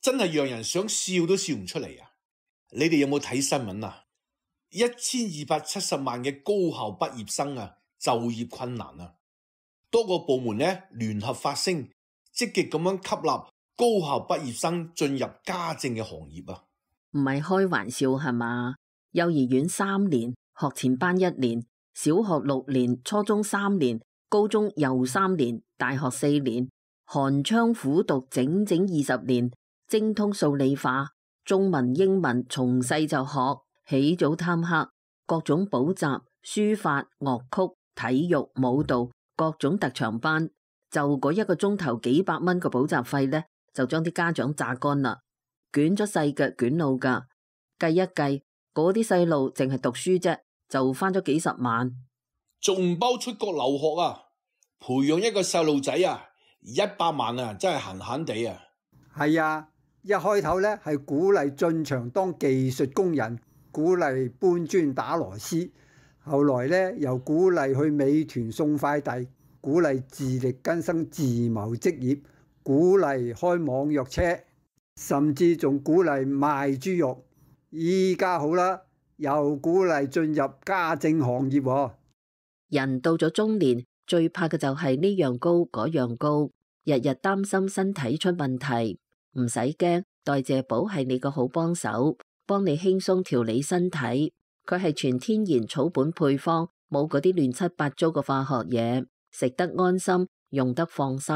真係讓人想笑都笑唔出嚟啊！你哋有冇睇新聞啊？1270萬嘅高校畢業生啊，就業困難啊！多個部門呢聯合發聲，積極咁樣吸納高校畢業生進入家政嘅行業啊！唔係開玩笑係嘛？幼兒園3年，學前班1年，小學6年，初中3年，高中又3年，大學4年，寒窗苦讀整整20年，精通數理化，中文英文從細就學，起早貪黑，各種補習、書法、樂曲、體育、舞蹈，各種特長班，就嗰1個鐘頭幾百蚊嘅補習費呢，就將啲家長榨乾啦，捲咗細腳捲腦噶，計一計。嗰啲細路淨係讀書啫，就返咗幾10萬，仲唔包出國留學啊？培養一個細路仔啊，100萬啊，真係閒閒地啊！係啊，一開頭呢係鼓勵進場當技術工人，鼓勵搬磚打螺絲，後來呢又鼓勵去美團送快遞，鼓勵自力更生自謀職業，鼓勵開網約車，甚至仲鼓勵賣豬肉。依家好啦，又鼓勵進入家政行業喎。人到咗中年，最怕嘅就係呢樣高嗰樣高，日日擔心身體出問題。唔使驚，代謝寶係你個好幫手，幫你輕鬆調理身體。佢係全天然草本配方，冇嗰啲亂七八糟嘅化學嘢，食得安心，用得放心。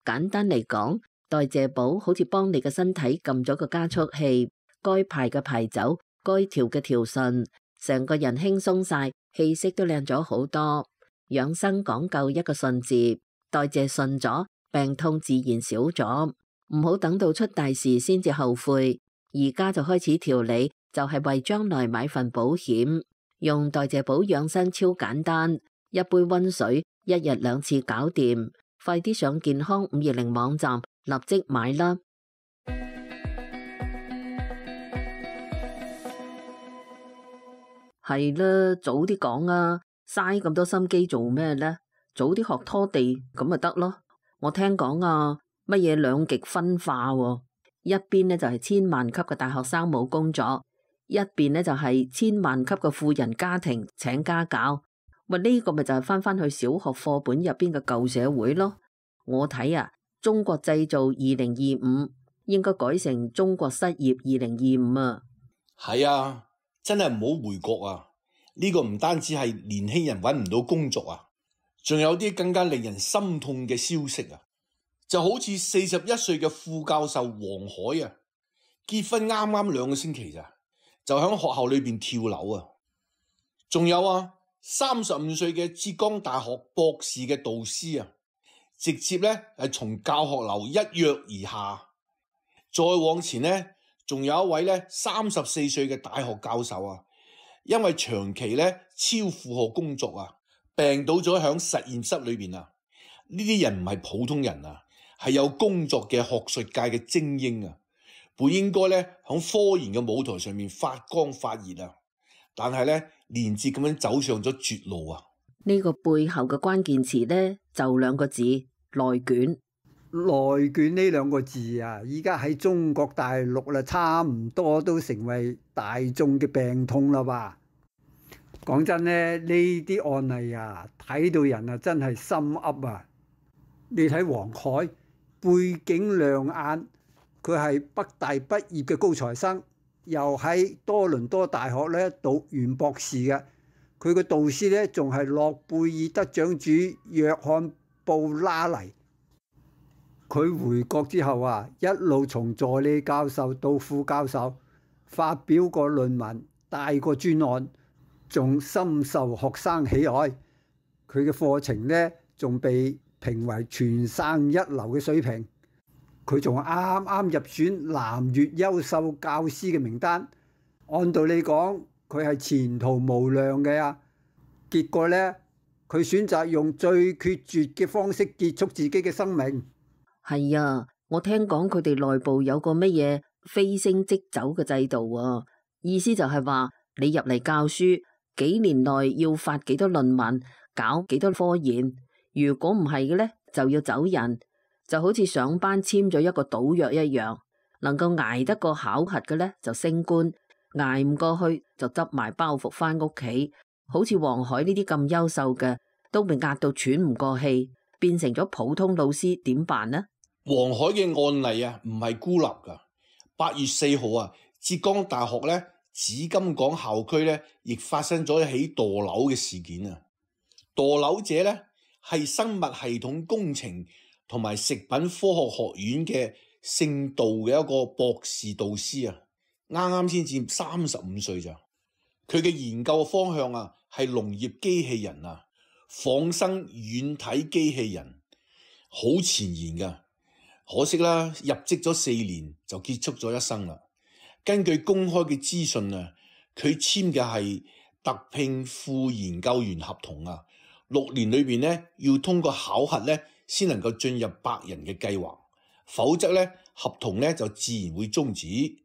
簡單嚟講，代謝寶好似幫你嘅身體撳咗個加速器。該排嘅排走，該調嘅調順，成個人輕鬆晒，氣色都靚咗好多。養生講究一個順字，代謝順咗，病痛自然少咗。唔好等到出大事先至後悔，而家就開始調理，就係為將來買份保險。用代謝寶養生超簡單，一杯溫水，1日2次搞掂。快啲上健康520網站，立即買啦！係啦，早啲講啊！嘥咁多心機做咩呢？早啲學拖地咁咪得咯。我聽講啊，乜嘢兩極分化喎？一邊呢就係千萬級嘅大學生冇工作，一邊呢就係千萬級嘅富人家庭請家教。喂，呢個咪就係翻去小學課本入邊嘅舊社會咯。我睇啊，中國製造2025應該改成中國失業2025啊。係啊。真係唔好回國啊！呢個唔單止係年輕人揾唔到工作啊，仲有啲更加令人心痛嘅消息啊！就好似41歲嘅副教授黃海啊，結婚啱啱2個星期咋，就喺學校裏邊跳樓啊！仲有啊，35歲嘅浙江大學博士嘅導師啊，直接呢係從教學樓一躍而下。再往前呢，仲有一位咧34歲嘅大學教授啊，因為長期咧超負荷工作啊，病倒咗喺實驗室裏邊啊。呢啲人唔係普通人啊，係有工作嘅學術界嘅精英啊，本應該咧喺科研嘅舞台上面發光發熱啊，但係咧連接咁樣走上咗絕路啊。呢個背後嘅關鍵詞咧就2個字：內卷。內卷呢2個字啊，依家喺中國大陸啦，差唔多都成為大眾嘅病痛啦吧。講真呢，呢啲案例啊，睇到人啊真係心噏啊。你睇黃海，背景亮眼，佢係北大畢業嘅高材生，又喺多倫多大學咧讀完博士嘅。佢嘅導師咧仲係諾貝爾得獎主約翰布拉尼。佢回國之後啊，一路從助理教授到副教授，發表過論文，帶過專案，仲深受學生喜愛。佢嘅課程呢，仲被評為全省一流嘅水平。佢仲啱啱入選南粵優秀教師嘅名單。按道理講，佢係前途無量嘅啊。結果呢，佢選擇用最決絕嘅方式結束自己嘅生命。係啊，我聽講佢哋內部有個乜嘢飛升即走嘅制度啊，意思就係話你入嚟教書，幾年內要發幾多論文，搞幾多科研，如果唔係嘅呢，就要走人，就好似上班簽咗一個賭約一樣。能夠捱得過考核嘅呢，就升官，捱唔過去就執埋包袱返屋企。好似黃海呢啲咁優秀嘅，都被壓到喘唔過氣，變成咗普通老師，點辦呢？黃海嘅案例啊，唔係孤立㗎。8月4號啊，浙江大學咧紫金港校區咧，亦發生咗一起墮樓嘅事件啊！墮樓者咧係生物系統工程同埋食品科學學院嘅姓杜嘅一個博士導師啊，啱啱先至35歲咋。佢嘅研究方向啊係農業機器人啊，仿生軟體機器人，好前沿㗎。可惜啦，入職咗4年就結束咗一生啦。根據公開嘅資訊啊，佢簽嘅係特聘副研究員合同啊，6年裏邊咧要通過考核咧先能夠進入100人嘅計劃，否則咧合同咧就自然會終止。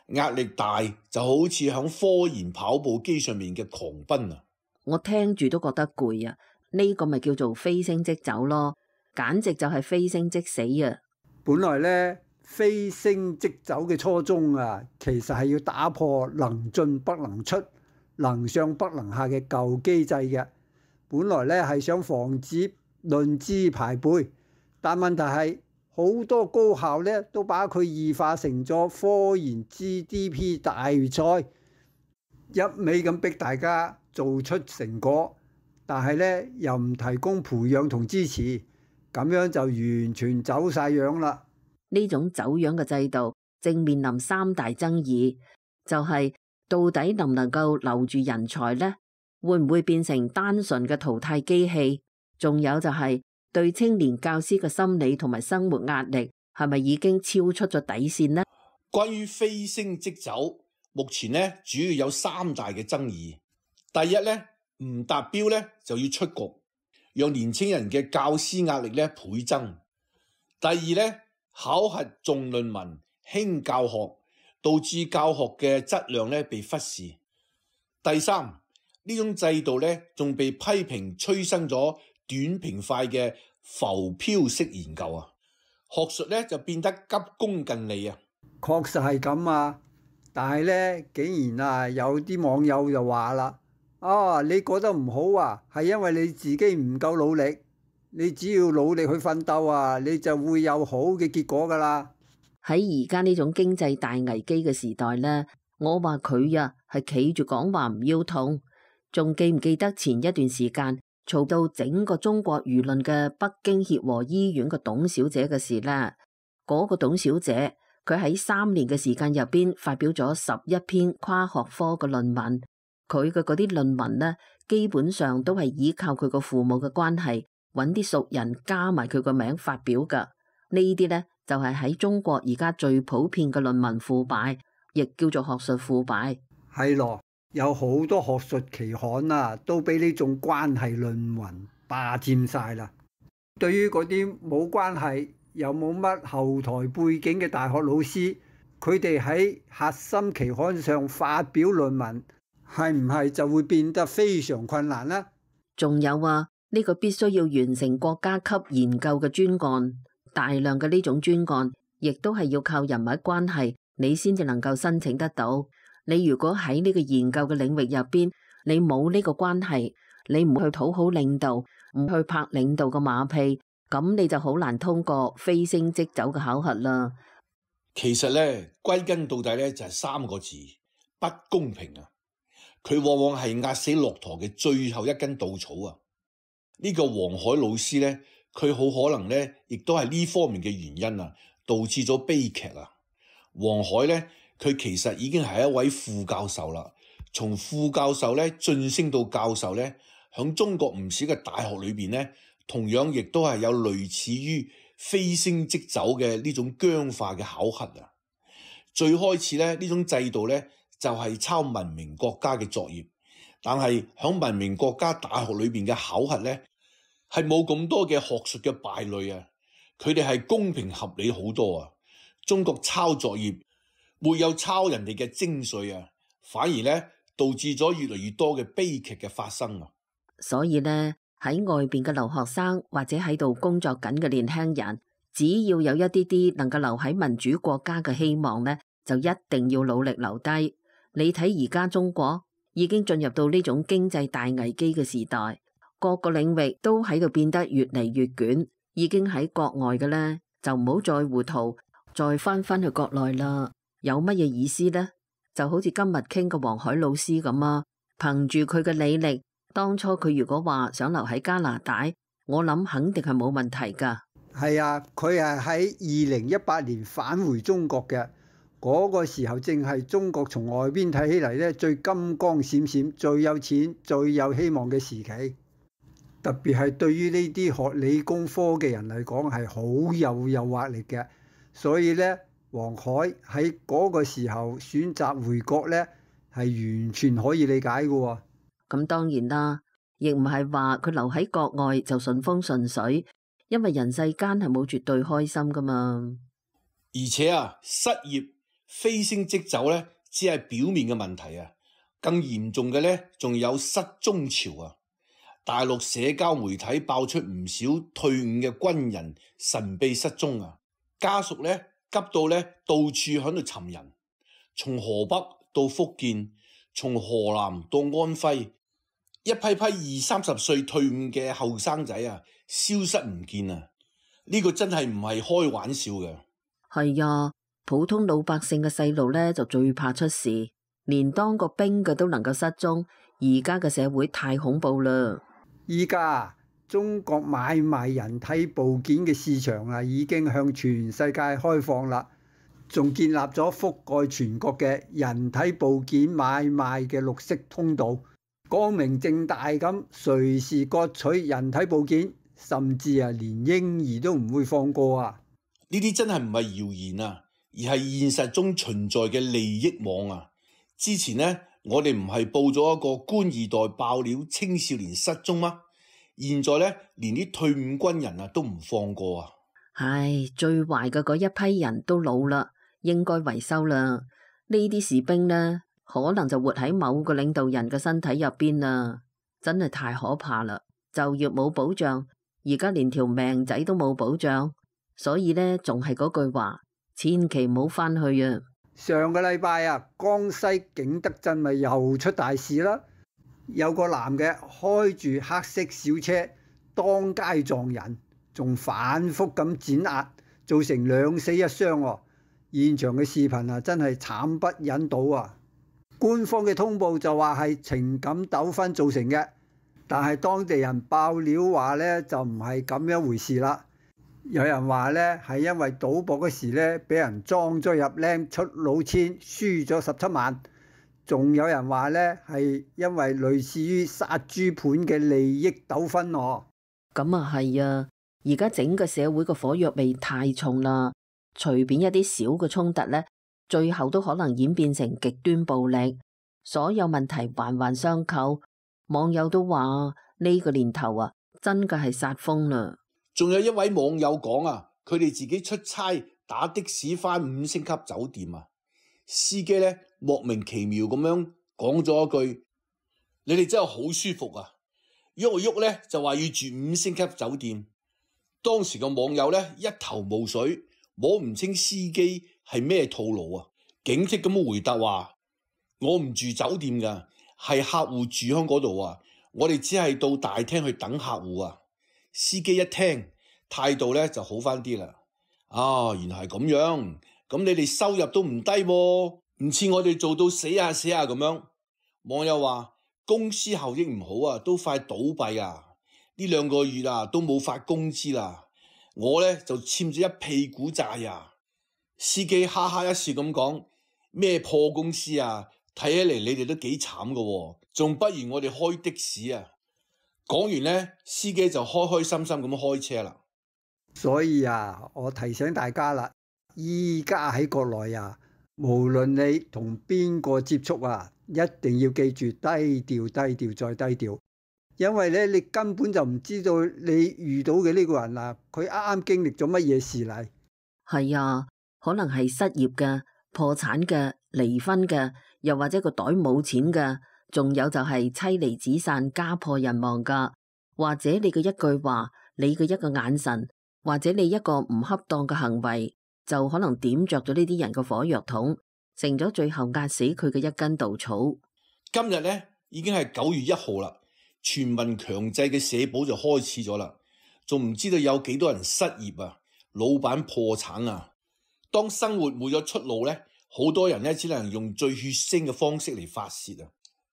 壓力大就好似響科研跑步機上面嘅狂奔啊！我聽住都覺得攰啊！呢個咪叫做飛升即走咯，簡直就係飛升即死啊！本來呢，飛升即走嘅初衷啊，其實係要打破能進不能出、能上不能下嘅舊機制嘅。本來呢係想防止論資排輩，但問題係好多高校呢都把佢異化成咗科研 GDP 大賽，一味咁逼大家做出成果，但係呢又唔提供培養同支持，咁樣就完全走晒樣啦。呢種走樣嘅制度正面臨3大爭議，就係到底能唔能夠留住人才呢？會唔會變成單純嘅淘汰機器？仲有就係對青年教師嘅心理同埋生活壓力係咪已經超出咗底線呢？關於飛升即走，目前呢主要有3大嘅爭議。第一呢，唔達標呢就要出局，讓年輕人嘅教師壓力呢倍增。第二呢，考核重論文輕教學，導致教學嘅質量呢被忽視。第三，呢種制度呢仲被批評催生咗短平快嘅浮漂式研究啊，學術呢就變得急功近利啊。確實係咁啊，但係呢，竟然啊有啲網友就話啦：你覺得唔好啊，係因為你自己唔夠努力。你只要努力去奮鬥啊，你就會有好嘅結果噶啦。喺而家呢種經濟大危機嘅時代呢，我話佢啊係企住講話唔腰痛。仲記唔記得前一段時間嘈到整個中國輿論嘅北京協和醫院個董小姐嘅事呢？嗰個董小姐佢喺3年嘅時間入邊發表咗11篇跨學科嘅論文，佢嘅嗰啲論文呢，基本上都係依靠佢個父母嘅關係，揾啲熟人加埋佢個名發表噶。呢啲呢，就係喺中國而家最普遍嘅論文腐敗，亦叫做學術腐敗。係咯，有好多學術期刊啊，都俾呢種關係論文霸佔晒啦。對於嗰啲冇關係又冇乜後台背景嘅大學老師，佢哋喺核心期刊上發表論文，係唔係就會變得非常困難呢？仲有啊，呢個必須要完成國家級研究嘅專案，大量嘅呢種專案，亦都係要靠人物關係，你先至能夠申請得到。你如果喺呢個研究嘅領域入邊，你冇呢個關係，你唔去討好領導，唔去拍領導嘅馬屁，咁你就好難通過飛升即走嘅考核啦。其實呢，歸根到底呢，就係3個字：不公平啊！佢往往係壓死駱駝嘅最後一根稻草啊！呢個黃海老師呢，佢好可能呢，亦都係呢方面嘅原因啊，導致咗悲劇啊！黃海呢，佢其實已經係一位副教授啦，從副教授呢晉升到教授呢，響中國唔少嘅大學裏邊呢，同樣亦都係有類似於飛升即走嘅呢種僵化嘅考核啊！最開始呢，呢種制度呢，就係抄文明國家嘅作業，但係響文明國家大學裏邊嘅考核呢，係冇咁多嘅學術嘅敗類啊！佢哋係公平合理好多啊！中國抄作業沒有抄人哋嘅精髓啊，反而呢導致咗越嚟越多嘅悲劇嘅發生啊！所以呢，喺外邊嘅留學生或者喺度工作緊嘅年輕人，只要有一啲啲能夠留喺民主國家嘅希望呢，就一定要努力留低。你睇而家中國已經進入到呢種經濟大危機嘅時代，各個領域都喺度變得越嚟越捲，已經喺國外嘅呢，就唔好再糊塗，再翻去國內啦。有乜嘢意思呢？就好似今日傾嘅黃海老師咁啊，憑住佢嘅履歷，當初佢如果話想留喺加拿大，我諗肯定係冇問題噶。係啊，佢係喺2018年返回中國嘅，嗰個時候正係中國從外邊睇起嚟呢最金光閃閃、最有錢、最有希望嘅時期。特別係對於呢啲學理工科嘅人嚟講係好有誘惑力嘅，所以呢，黃海喺嗰個時候選擇回國呢，係完全可以理解嘅喎。咁當然啦，亦唔係話佢留喺國外就順風順水，因為人世間係冇絕對開心噶嘛。而且啊，失業飛升即走呢，只係表面嘅問題啊，更嚴重嘅呢，仲有失蹤潮啊！大陸社交媒體爆出唔少退伍嘅軍人神秘失蹤啊，家屬呢，急到呢，到處喺度尋人，從河北到福建，從河南到安徽，一批批20-30歲退伍嘅後生仔啊，消失唔見啊！呢個真係唔係開玩笑嘅。係啊，普通老百姓嘅細路呢，就最怕出事，連當個兵嘅都能夠失蹤，而家嘅社會太恐怖啦。依家中國買賣人體部件嘅市場啊，已經向全世界開放啦，仲建立咗覆蓋全國嘅人體部件買賣嘅綠色通道，光明正大咁隨時割取人體部件，甚至連嬰兒都唔會放過啊！呢啲真係唔係謠言啊，而係現實中存在嘅利益網啊！之前呢，我哋唔係報咗一個官二代爆料青少年失蹤嗎？現在呢，連啲退伍軍人啊都唔放過啊！唉，最壞嘅嗰一批人都老啦，應該維修啦。呢啲士兵呢，可能就活喺某個領導人嘅身體入邊啦，真係太可怕啦！就業冇保障，而家連條命仔都冇保障，所以呢，仲係嗰句話，千祈唔好翻去啊！上個禮拜啊，江西景德鎮咪又出大事啦！有個男嘅開住黑色小車當街撞人，仲反覆咁碾壓，造成2死1傷喎。現場嘅視頻啊，真係慘不忍睹啊！官方嘅通報就話係情感糾紛造成嘅，但係當地人爆料話呢，就唔係咁樣回事啦。有人話呢，係因為賭博嗰時呢，俾人裝咗入僆出老千，輸咗17萬。仲有人話呢，係因為類似於殺豬盤嘅利益糾紛喎。咁啊係啊，而家整個社會個火藥味太重啦，隨便一啲小嘅衝突呢，最後都可能演變成極端暴力，所有問題環環相扣。網友都話呢個年頭啊，真嘅係殺瘋啦。仲有一位網友講啊，佢哋自己出差打的士返5星級酒店啊，司機呢，莫名其妙咁樣講咗一句：你哋真係好舒服啊！喐喐呢就話要住5星級酒店。當時個網友呢，一頭霧水，摸唔清司機係咩套路啊，警惕咁回答話：我唔住酒店㗎，係客戶住喺嗰度啊，我哋只係到大廳去等客戶啊。司機一聽，態度呢就好返啲啦。啊，原來係咁樣，咁你哋收入都唔低喎，唔似我哋做到死下咁樣。網友話公司效益唔好啊，都快倒閉啊，呢2個月啊都冇發工資啦，我呢就欠咗一屁股債啊。司機哈哈一笑咁講：咩破公司啊，睇起嚟你哋都幾慘㗎喎，仲不如我哋開的士啊。講完呢，司機就開開心心咁開車啦。所以啊，我提醒大家啦，依家喺國內啊，無論你同邊個接觸啊，一定要記住低調、低調再低調，因為咧你根本就唔知道你遇到嘅呢個人啊，佢啱啱經歷咗乜嘢事嚟。係啊，可能係失業嘅、破產嘅、離婚嘅，又或者個袋冇錢嘅。仲有就係妻離子散、家破人亡噶，或者你嘅一句話、你嘅一個眼神，或者你一個唔恰當嘅行為，就可能點着咗呢啲人嘅火藥桶，成咗最後壓死佢嘅一根稻草。今日呢已經係9月1號啦，全民強制嘅社保就開始咗啦，仲唔知道有幾多人失業啊，老闆破產啊。當生活冇咗出路呢，好多人呢只能用最血腥嘅方式嚟發泄啊。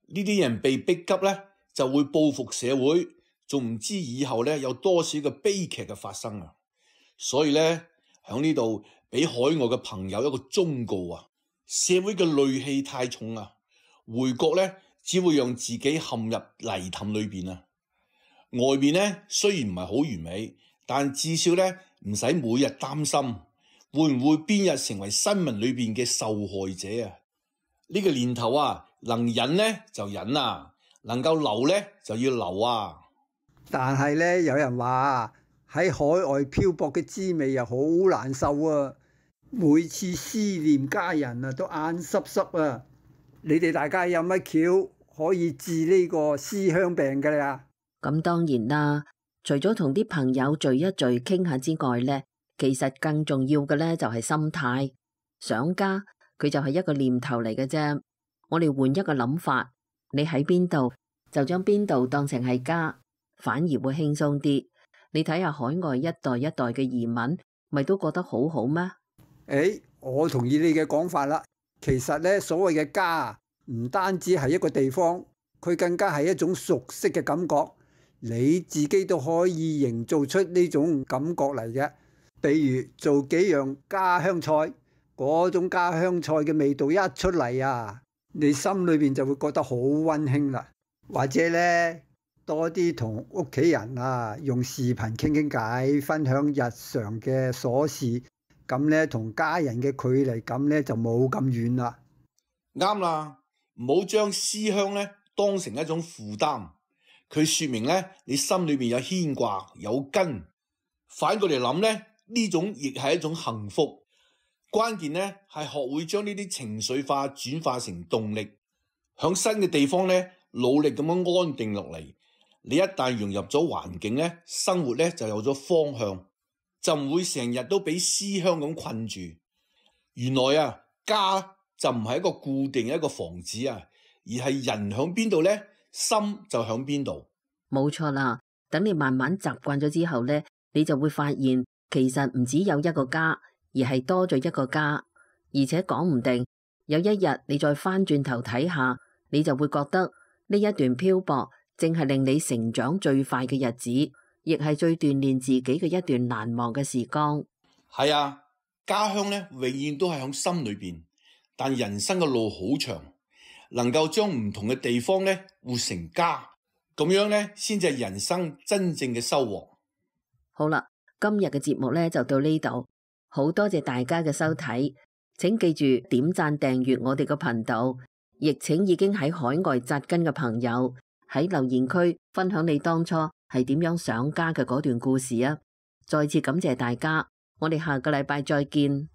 呢啲人被逼急呢，就會報復社會，仲唔知以後呢有多少個悲劇嘅發生啊。所以呢，喺呢度俾海外嘅朋友一個忠告啊，社會嘅戾氣太重啊，回國呢只會讓自己陷入泥潭裏邊啊。外面呢雖然唔係好完美，但至少呢唔使每日擔心會唔會邊日成為新聞裏邊嘅受害者啊。呢個年頭啊，能忍呢就忍啊，能夠留呢就要留啊。但係呢，有人話喺海外漂泊嘅滋味又好難受啊，每次思念家人啊都眼濕濕啊。你哋大家有乜橋可以治呢個思鄉病㗎呀？咁當然啦，除咗同啲朋友聚一聚傾下之外呢，其實更重要嘅呢就係心態。想家佢就係一個念頭嚟嘅啫。我哋換一個諗法，你喺邊度就將邊度當成係家，反而會輕鬆啲。你睇下海外一代一代嘅移民，咪都覺得好好咩？我同意你嘅講法啦。其實呢，所謂嘅家唔單止係一個地方，佢更加係一種熟悉嘅感覺。你自己都可以營造出呢種感覺嚟嘅。比如做幾樣家鄉菜，嗰種家鄉菜嘅味道一出嚟啊，你心裏邊就會覺得好溫馨啦。或者呢，多啲同屋企人啊用視頻傾傾偈，分享日常嘅瑣事，咁呢，同家人嘅距離感呢就冇咁遠啦。啱啦，唔好將思鄉呢當成一種負擔，佢說明呢你心裏邊有牽掛有根。反過嚟諗呢，呢種亦係一種幸福。關鍵呢係學會將呢啲情緒化轉化成動力，響新嘅地方呢努力咁樣安定落嚟。你一旦融入咗環境呢，生活呢就有咗方向，就唔會成日都俾思鄉咁困住。原來啊，家就唔係一個固定一個房子啊，而係人響邊度呢，心就響邊度。冇錯啦，等你慢慢習慣咗之後呢，你就會發現其實唔只有一個家，而係多咗一個家。而且講唔定有一日你再翻轉頭睇下，你就會覺得呢一段漂泊正係令你成長最快嘅日子，亦係最鍛煉自己嘅一段難忘嘅時光。係啊，家鄉呢永遠都係響心裏邊，但人生嘅路好長，能夠將唔同嘅地方呢活成家，咁樣呢先至係人生真正嘅收穫。好啦，今日嘅節目呢就到呢度，好多謝大家嘅收睇，請記住點讚訂閱我哋個頻道，亦請已經喺海外扎根嘅朋友喺留言區分享你當初係點樣想家嘅嗰段故事啊！再次感謝大家，我哋下個禮拜再見。